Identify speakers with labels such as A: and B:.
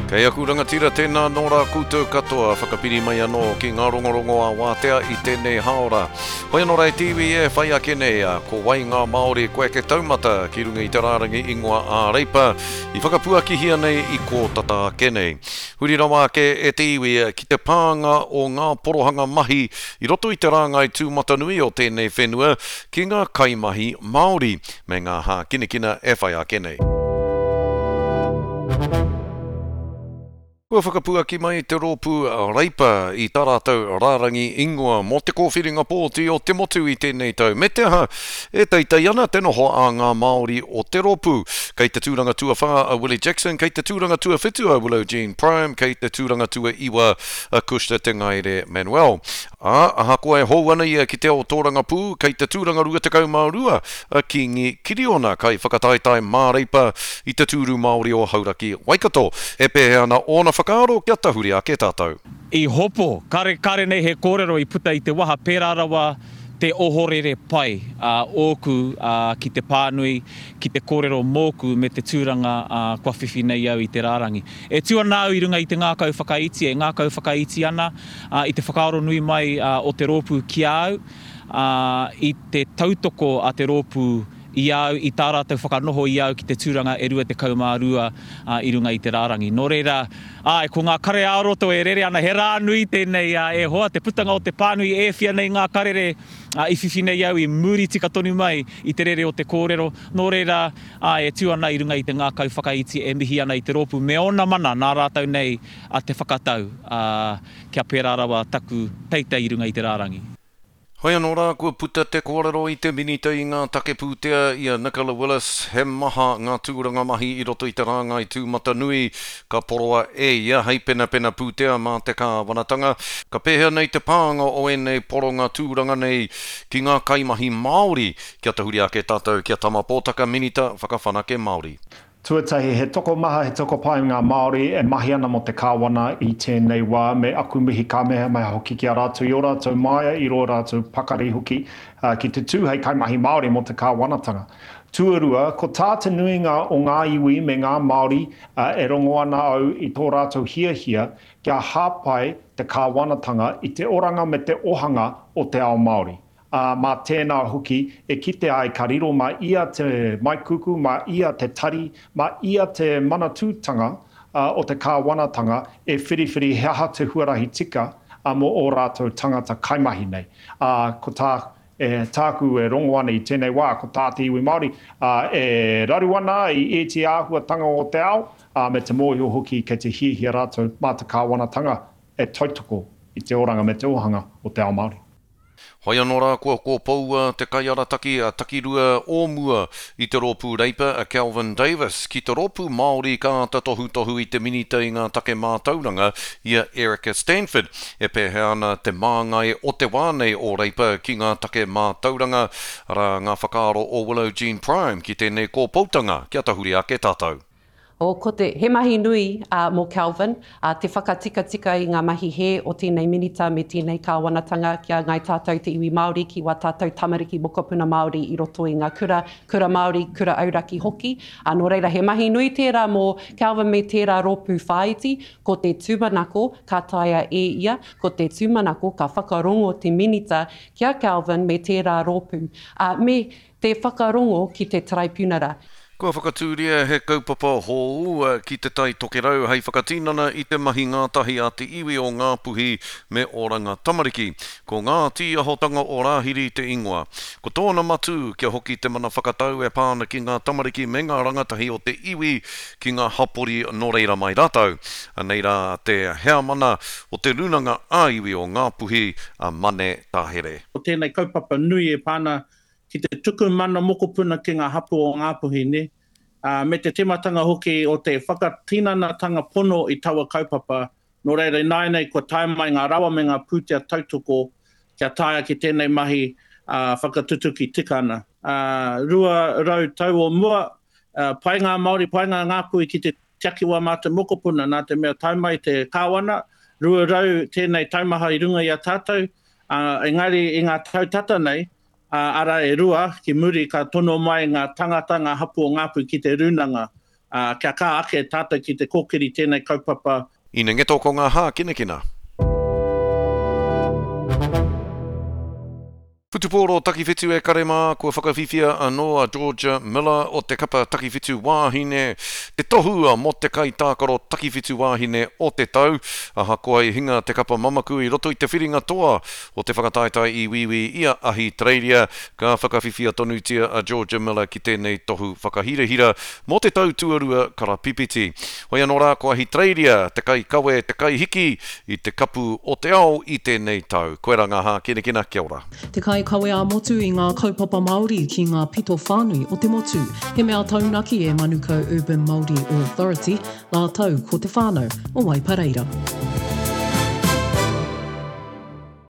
A: Kei aku rangatira tēnā nō rā koutou katoa, whakapiri mai anō ki ngā rongorongo a wātea i tēnei hāora. Hoi anō rā e te iwi e whai ake nei, ko wai ngā Māori kua eke taumata ki runga i te rārangi ingoa ā-Reipa i whakapuakihia nei i kō tata ake nei. Huri rawa ake e te iwi ki te pānga o ngā porohanga mahi i roto i te rāngai tūmatanui o tēnei whenua ki ngā kaimahi Māori me ngā hākinakina e whai ake nei. Kua whakapuaki mai te rōpū Reipa i tā rātou rārangi ingoa mō te kōwhiringa pōti o te motu i tēnei tau, me te aha, e teitei ana te noho a ngā Māori o te rōpū. Kei te tūranga tuawhā a Willie Jackson, kei te tūranga tuawhitu a Willow Jean Prime, kei te tūranga tuaiwa a Cushla Te Ngaere Manuel. Ā, ahakoa e hou ana ia ki te ao tōrangapū, kei te tūranga 22 a Kīngi Kiriona, kaiwhakataetae māreipa i te tūru Māori o Hauraki, Waikato. E pēhea ana ōna whakaaro kia tahuri ake tātou?
B: I hopo, kare, kare nei he kōrero i puta i te waha pērā rawa te ohorere pai ōku ki te pānui, ki te kōrero mōku me te tūranga kua whiwhi nei au i te rārangi. E tū ana au i runga i te ngākau whakaiti, e ngākau whakaiti ana i te whakaaro nui mai o te rōpū ki a au, ā, i te tautoko a te rōpū i a au, i tā rātou whakanoho i a au ki te tūranga e 22 i runga i te rārangi. Nō reira, āe, ko ngā kare ā-roto e rere ana, he rā nui tēnei, e hoa, te putanga o te pānui e whia nei ngā karere i whiwhi nei au i muri tika tonu mai i te rere o te kōrero. Nō reira, āe, e tū ana i runga i te ngākau whakaiti e mihi ana i te rōpū me ōna mana nā rātou nei a te whakatau, ā, kia pērā rawa taku teitei i runga i te rārangi.
A: Hoi anō rā, kua puta te kōrero i te Minita i ngā take pūtea, i a Nicola Willis, he maha ngā tūranga mahi i roto i te rāngai tūmatanui ka poroa e ia hei penapena pūtea mā te kāwanatanga. Ka pēhea nei te pānga o ēnei poronga tūranga nei ki ngā kaimahi Māori? Kia tahuri ake tātou ki a Tama Pōtaka, Minita Whakawhanake Māori.
C: Tuatahi, he tokomaha, he tokopae ngā Māori e mahi ana mō te Kāwana i tēnei wā, me aku mihi kāmehameha hoki ki a rātou i ō rātou māia, i rō rātou pakari hoki ki te tū hei kaimahi Māori mō te Kāwanatanga. Tuarua, ko tā te nuinga o ngā iwi me ngā Māori e rongo ana au i tō rātou hiahia kia hāpai te Kāwanatanga i te oranga me te ohanga o te ao Māori. ā, mā tēnā hoki e kite ai ka riro mā ia te maikuku, mā ia te tari, mā ia te manatūtanga o te kāwanatanga e whiriwhiri he aha te huarahi tika mō ō rātou tangata kaimahi nei. Ā, ko tā, e, tāku e rongo ana i tēnei wā, ko tā te iwi Māori, ā, e raru ana i ēti āhuatanga o te ao, ā, me te mōhio hoki kei te hiahia rātou mā te kāwanatanga e tautoko i te oranga me te ōhanga o te ao Māori.
A: Hoi anō rā kua kōpoua te kaiarataki a takirua o mua i te Rōpū Reipa a Kelvin Davis ki te Rōpū Māori ka āta tohutohu i te Minita i ngā take mātauranga i a Erica Stanford. E pēhea ana te māngai o te wā nei o Reipa ki ngā take mātauranga, arā ngā whakaaro o Willow Jean Prime ki tēnei kōpoutanga kia tahuri ake tātou.
D: Oh, ko te, he mahi nui mō Kelvin, te whakatikatika i ngā mahi hē o tēnei Minita me tēnei Kāwanatanga ki a Ngāi Tātou te iwi Māori, ki wā tātou tamariki mokopuna Māori i roto i ngā kura, kura Māori, kura auraki hoki. Ā, nō reira, he mahi nui tērā mō Kelvin me tērā rōpū whāiti, ko te tūmanako ka taea e ia, ko te tūmanako ka whakarongo te Minita ki a Kelvin me tērā rōpū, ā, me te whakarongo ki te Taraipiunara.
A: Kua whakatūria he kaupapa hou ki Te Tai Tokerau hei whakatinana i te mahi ngātahi a te iwi o Ngāpuhi me Oranga Tamariki. Ko Ngā Tīahotanga o Rāhiri te ingoa. Ko tōna matū kia hoki te mana whakatau e pā ana ki ngā tamariki me ngā rangatahi o te iwi ki ngā hapori nō reira mai rātou. Anei rā te heamana o te Rūnanga ā-Iwi o Ngāpuhi, a Mane Tahere.
E: Ko tēnei kaupapa nui e pā ana ki te tuku mana mokopuna ki ngā hapū o Ngāpuhi, nē, ā, me te tīmatanga hoki o te whakatinanatanga pono i taua kaupapa, nō reira ināianei kua tae mai ngā rawa me ngā pūtea tautoko kia taea ki tēnei mahi ā, whakatutuki tika ana. Ā, 200 tau o mua, ā, pai ngā Māori, pai ngā Ngāpuhi ki te tiaki wā mātou mokopuna, nā te mea tae mai te Kāwana, 200 tēnei taumaha i runga i a tātou, ā, engari i ngā tau tata nei, ā, arā e rua ki muri ka tono mai ngā tangata, ngā hapū o Ngāpuhi ki te rūnanga. Ā, kia kaha ake tātou ki te kōkiri tēnei kaupapa.
A: Ina ngeto ko ngā hākinakina. Whutupōro takiwhitu e kare mā, kua whakawhiwhia anō a Georgia Miller o te kapa takiwhitu wāhine te tohu mō te kaitākaro takiwhitu wāhine o te tau. Ahakoa i hinga te kapa mamaku i roto i te whiringa toa o te whakataetae i Wīwī i a Ahitereiria, ka whakawhiwhia tonutia a Georgia Miller ki tēnei tohu whakahirahira mō te tau tuarua karapipiti. Hoi anō rā, ko Ahitereiria te kaikawe, te kaihiki i te kapu o te ao i tēnei tau. Koirā ngā hākinakina, kia ora.
F: Te kaikawe ā-motu i ngā kaupapa Māori ki ngā pito whānui o te motu. He mea taunaki e Manukau Urban Māori Authority rātou ko te whānau o Waipareira.